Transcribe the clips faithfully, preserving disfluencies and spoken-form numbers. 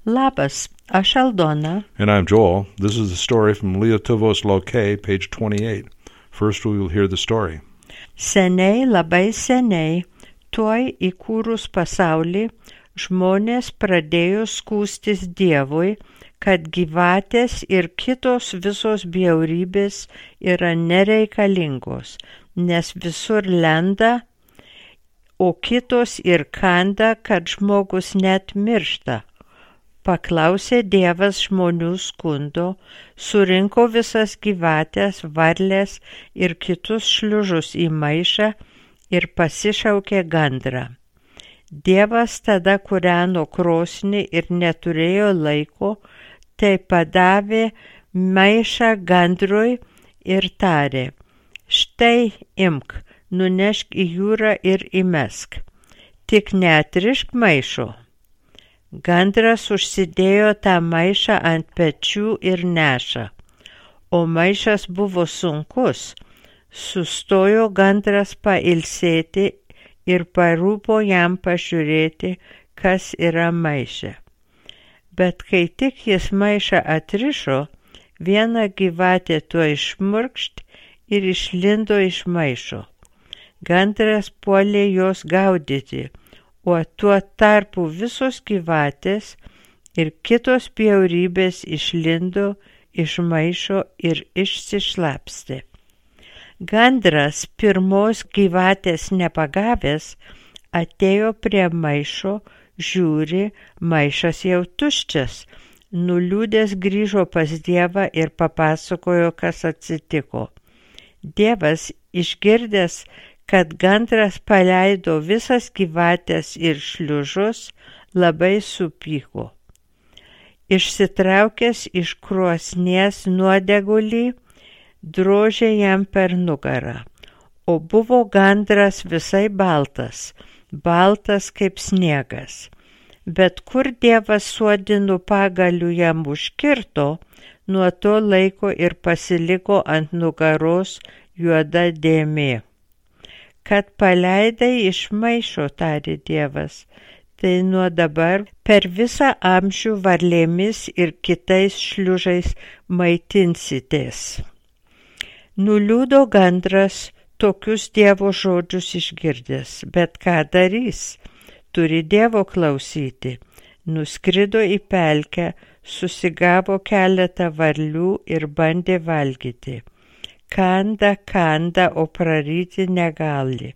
Labas, aš Aldona. And I'm Joel. This is the story from Lietuvos Laukai, page twenty-eight. First we will hear the story. Seniai, labai seniai, tuoj įkūrus pasaulį, žmonės pradėjo skųstis Dievui, kad gyvatės ir kitos visos bjaurybės yra nereikalingos, nes visur lenda, o kitos ir kanda, kad žmogus net miršta. Paklausė Dievas žmonių skundo, surinko visas gyvatės, varlės ir kitus šliužus į maišą ir pasišaukė gandrą. Dievas tada kūreno krosnį ir neturėjo laiko, tai padavė maišą gandrui ir tarė: štai imk, nunešk į jūrą ir įmesk, tik neatrišk maišo. Gandras užsidėjo tą maišą ant pečių ir neša, o maišas buvo sunkus. Sustojo gandras pailsėti ir parūpo jam pažiūrėti, kas yra maiše. Bet kai tik jis maišą atrišo, viena gyvatė tuo išmurkšt ir išlindo iš maišo. Gandras puolė jos gaudyti, o tuo tarpu visos gyvatės ir kitos bjaurybės išlindo iš maišo ir išsišlapstė. Gandras, pirmos gyvatės nepagavęs, atėjo prie maišo, žiūri, maišas jau tuščias. Nuliūdęs grįžo pas Dievą ir papasakojo, kas atsitiko. Dievas, išgirdęs, kad gandras paleido visas gyvatės ir šliužus, labai supyko. Išsitraukęs iš krosnies nuodegulį, drožė jam per nugarą, o buvo gandras visai baltas, baltas kaip sniegas. Bet kur Dievas suodinu pagaliu jam užkirto, nuo to laiko ir pasiliko ant nugaros juoda dėmė. Kad paleidai iš maišo, tarė Dievas, tai nuo dabar per visą amžių varlėmis ir kitais šliužais maitinsitės. Nuliūdo gandras tokius Dievo žodžius išgirdęs, bet ką darys? Turi Dievo klausyti. Nuskrido į pelkę, susigavo keletą varlių ir bandė valgyti. Kanda, kanda, o praryti negali.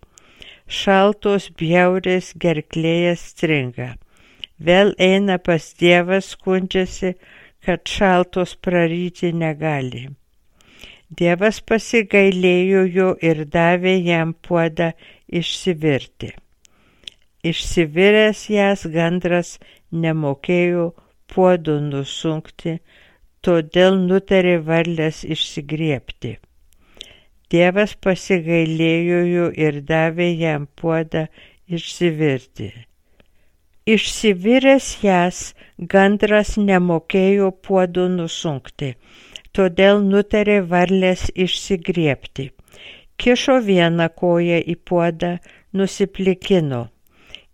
Šaltos bjaurės gerklėje stringa. Vėl eina pas Dievą, skundžiasi, kad šaltos praryti negali. Dievas pasigailėjo jo ir davė jam puodą išsivirti. Išsiviręs jas gandras nemokėjo puodo nusunkti, todėl nutarė varlės išsigriebti. Dievas pasigailėjo jo ir davė jam puodą išsivirti. Išsiviręs jas, gandras nemokėjo puodo nusunkti, todėl nutarė varlės išsigriebti. Kišo vieną koją į puodą, nusiplikino.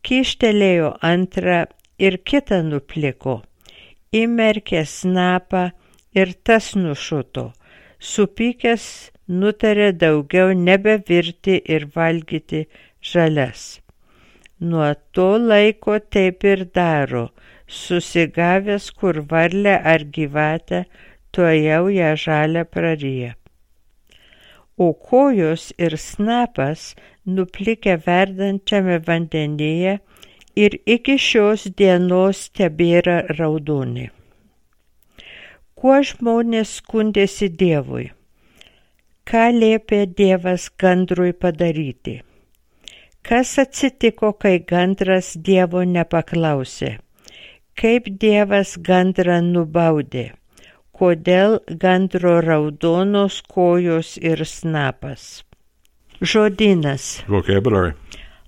Kyštelėjo antrą ir kitą nupliko. Įmerkė snapą ir tas nušuto. Supykęs nutarė daugiau nebevirti ir valgyti žalias. Nuo to laiko taip ir daro, susigavęs kur varlę ar gyvatę, tuojau ją žalią praryja. O kojos ir snapas nuplikę verdančiame vandenyje ir iki šios dienos tebėra raudoni. Kuo žmonės skundėsi Dievui? Ką liepė Dievas gandrui padaryti? Kas atsitiko, kai gandras Dievo nepaklausė? Kaip Dievas gandrą nubaudė? Kodėl gandro raudonos kojos ir snapas? Žodynas. Vocabulary.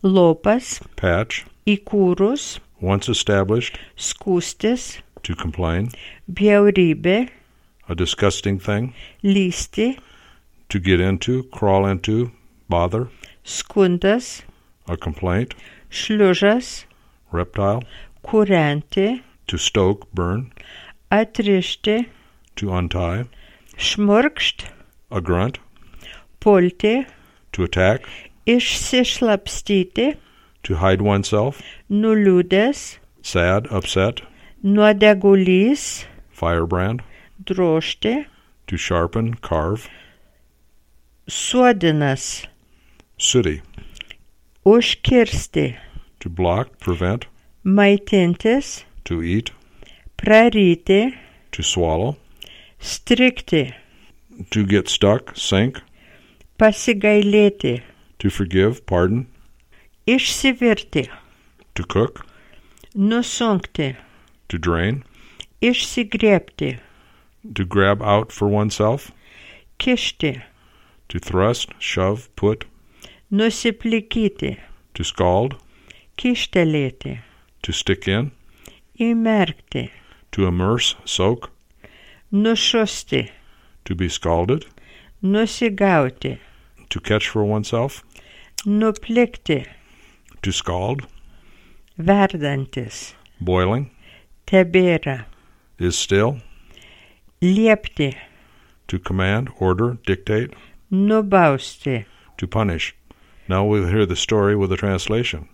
Lopas. Patch. Įkūrus. Once established. Skųstis. To complain. Bjaurybė. A disgusting thing. Lysti. To get into, crawl into, bother. Skundas. A complaint. Šliužas. Reptile. Kūrenti. To stoke, burn. Atrišti. To untie. Šmurkšt. A grunt. Pulti. To attack. Išsišlapstyti. To hide oneself. Nuliūdęs. Sad, upset. Nuodegulys. Firebrand. Drožti. To sharpen, carve. Suodinas. Sooty. Užkirsti. To block, prevent. Maitintis. To eat. Praryti. To swallow. Strikti. To get stuck, sink. Pasigailėti. To forgive, pardon. Išsivirti. To cook. Nusunkti. To drain. Išsigriebti. To grab out for oneself. Kišti. To thrust, shove, put. Nusiplikyti. To scald. Kištelėti. To stick in. Įmerkti. To immerse, soak. Nušusti. To be scalded. Nusigauti. To catch for oneself. Nuplikti. To scald. Verdantis. Boiling. Tebėra. Is still. Liepti. To command, order, dictate. Nubausti. To punish. Now we'll hear the story with a translation.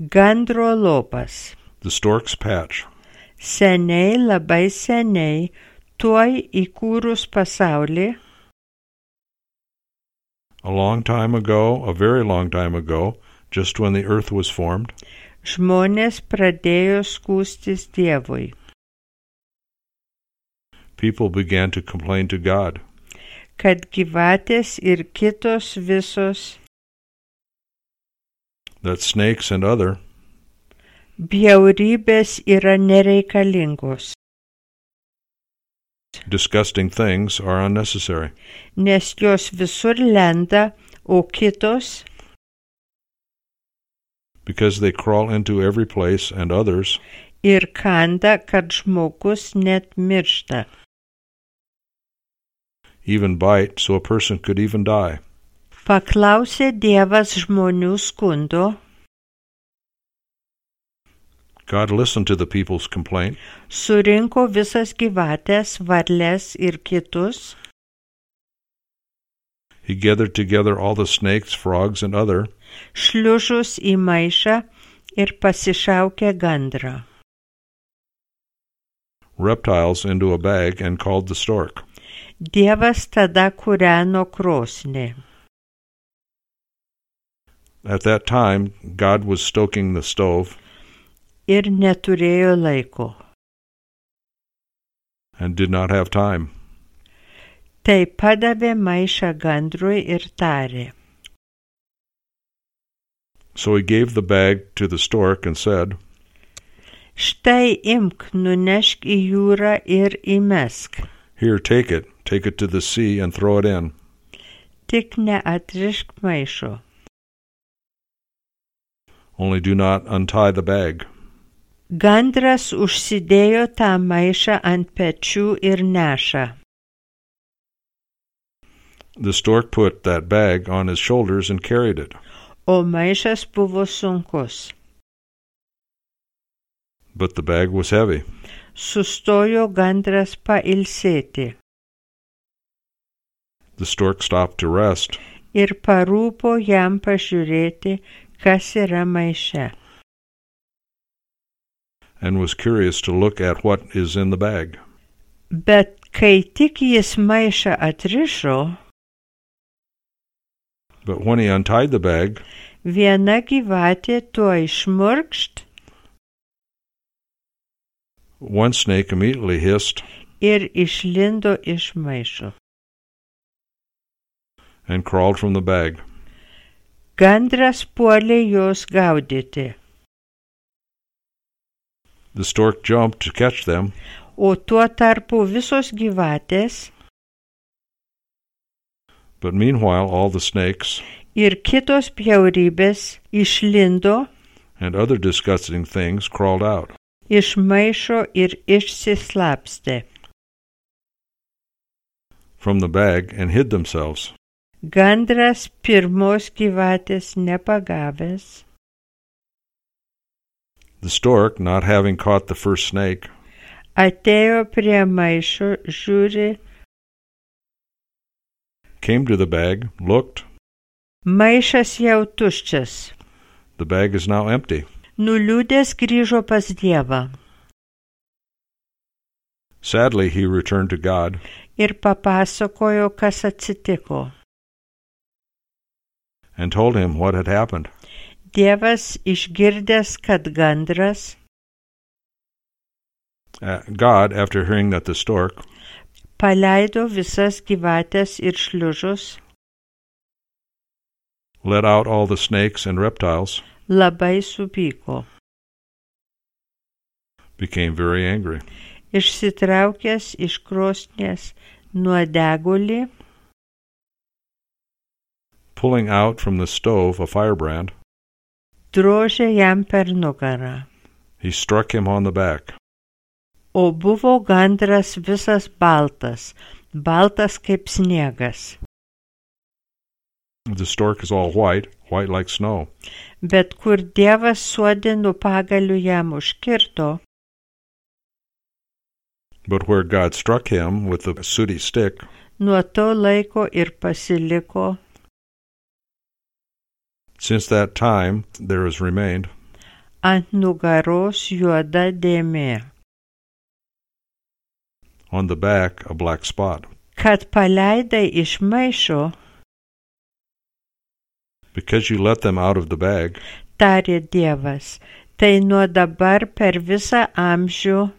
Gandro lopas. The stork's patch. Seniai, labai seniai, tuoj įkūrus pasaulį, A long time ago, a very long time ago, just when the earth was formed, žmonės pradėjo skųstis Dievui, people began to complain to God kad gyvatės ir kitos visos that snakes and other bjaurybės yra nereikalingos, disgusting things are unnecessary, nes jos visur lenda, o kitos because they crawl into every place and others ir kanda, kad žmogus net miršta. even bite so a person could even die. Paklausė Dievas žmonių skundo, God listened to the people's complaint, surinko visas gyvatės, varles ir kitus, He gathered together all the snakes, frogs, and other, šliužus į maišą ir pasišaukė gandrą. reptiles into a bag and called the stork. Dievas tada kūreno krosnį. At that time, God was stoking the stove Ir neturėjo laiko. and did not have time. Tai padavė maišą gandrui ir tarė, So he gave the bag to the stork and said, štai imk, nunešk į jūrą ir įmesk. Here, take it, take it to the sea and throw it in. Tik neatrišk maišo. Only do not untie the bag. Gandras užsidėjo tą maišą ant pečių ir neša. The stork put that bag on his shoulders and carried it. O maišas buvo sunkus. But the bag was heavy. Sustojo gandras pailsėti The stork stopped to rest, ir parūpo jam pažiūrėti, kas yra maiše. and was curious to look at what is in the bag. Bet kai tik jis maišą atrišo, But when he untied the bag, viena gyvatė tuoj šmurkšt one snake immediately hissed ir išlindo iš maišo. and crawled from the bag. Gandras puolė jos gaudyti, The stork jumped to catch them, o tuo tarpu visos gyvatės but meanwhile all the snakes ir kitos bjaurybės išlindo and other disgusting things crawled out. iš maišo ir išsislapstė. from the bag and hid themselves. Gandras pirmos gyvatės nepagavęs The stork, not having caught the first snake, atėjo prie maišo, žiūri, came to the bag, looked. maišas jau tuščias. The bag is now empty. Nuliūdęs grįžo pas Dievą Sadly, he returned to God ir papasakojo, kas atsitiko. and told him what had happened. Dievas išgirdęs, kad gandras, Uh, God, after hearing that the stork paleido visas gyvatės ir šliužus, let out all the snakes and reptiles, labai supyko. became very angry. Išsitraukęs iš krosnies nuodegulį, Pulling out from the stove a firebrand, drožė jam per nugarą. he struck him on the back. O buvo gandras visas baltas, baltas kaip sniegas. The stork is all white, white like snow. Bet kur Dievas suodinu pagaliu jam užkirto, But where God struck him with the sooty stick, nuo to laiko ir pasiliko since that time there has remained ant nugaros juoda dėmė, on the back a black spot, kad paleidai iš maišo, because you let them out of the bag, tarė Dievas, tai nuo dabar per visą amžių,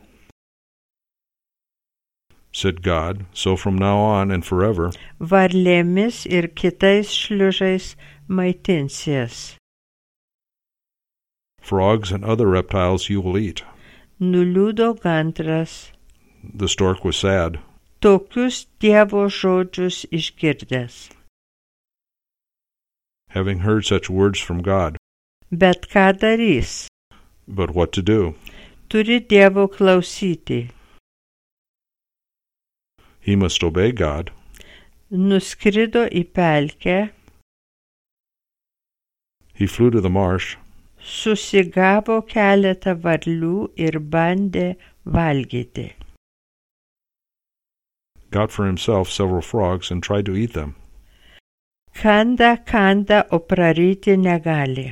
said God, so from now on and forever, varlėmis ir kitais šliužais maitinsies. frogs and other reptiles you will eat. Nuliūdo gandras, The stork was sad. tokius Dievo žodžius išgirdęs. Having heard such words from God, Bet ką darys? but what to do? Turi Dievo klausyti. He must obey God. Nuskrido į pelkę, He flew to the marsh, susigavo keletą varlių ir bandė valgyti. got for himself several frogs, and tried to eat them. Kanda, kanda, o praryti negali.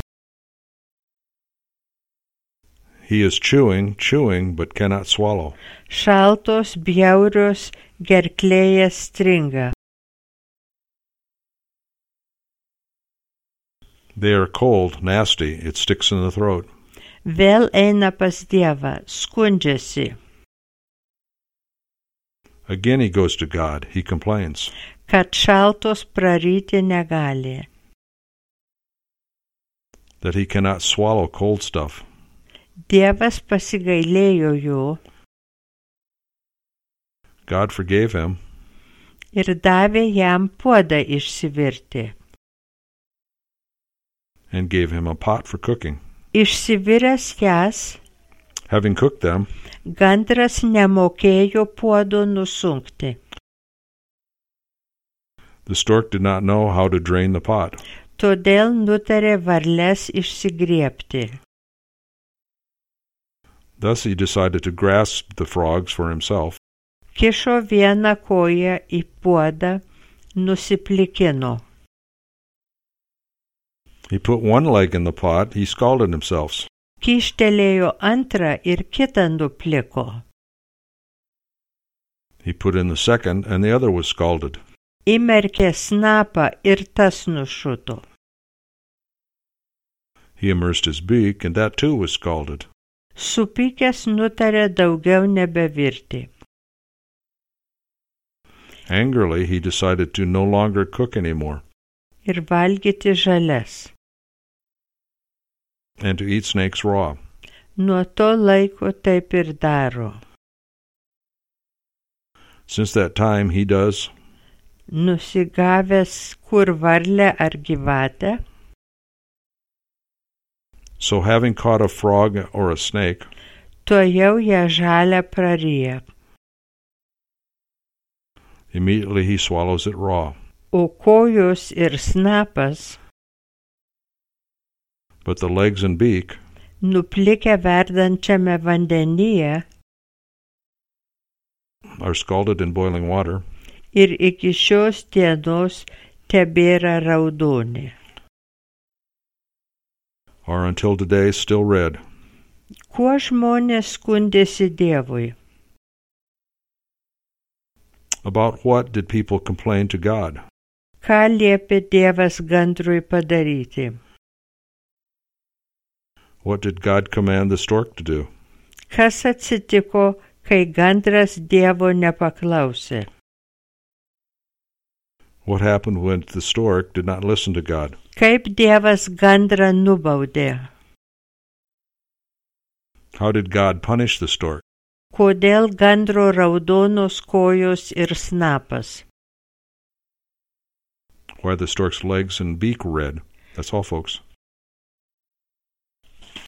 He is chewing, chewing, but cannot swallow. Šaltos, bjaurios, gerklėje stringa. They are cold, nasty, it sticks in the throat. Vėl eina pas Dievą, skundžiasi, Again he goes to God, he complains. kad šaltos praryti negali. That he cannot swallow cold stuff. Dievas pasigailėjo jo God forgave him ir davė jam puodą išsivirti. and gave him a pot for cooking. Išsiviręs jas, Having cooked them, gandras nemokėjo puodo nusunkti. the stork did not know how to drain the pot. Todėl nutarė varles išsigriebti. Thus he decided to grasp the frogs for himself, Kišo vieną koją į puodą, nusiplikino. He put one leg in the pot, he scalded himself. Kištelėjo antrą ir kitą nupliko. He put in the second, and the other was scalded. Įmerkė snapą ir tas nušuto. He immersed his beak, and that too was scalded. Supykęs nutarė daugiau nebevirti. Angrily, he decided to no longer cook anymore, Ir valgyti žalias. and to eat snakes raw. Nuo to laiko taip ir daro. Since that time he does, Nusigavęs kur varlę ar gyvatę, so having caught a frog or a snake, tuojau ją žalią praryja, immediately he swallows it raw. o kojos ir snapas, But the legs and beak, nuplikę verdančiame vandenyje are scalded in boiling water, ir iki šios dienos tebėra raudoni. are until today still red. Kuo žmonės skundėsi Dievui? About what did people complain to God? Ką liepė Dievas gandrui padaryti? What did God command the stork to do? Kas atsitiko, kai gandras Dievo nepaklausė? What happened when the stork did not listen to God? Kaip Dievas gandrą nubaudė? How did God punish the stork? Kodėl gandro raudonos kojos ir snapas? Why are the stork's legs and beak red? That's all, folks.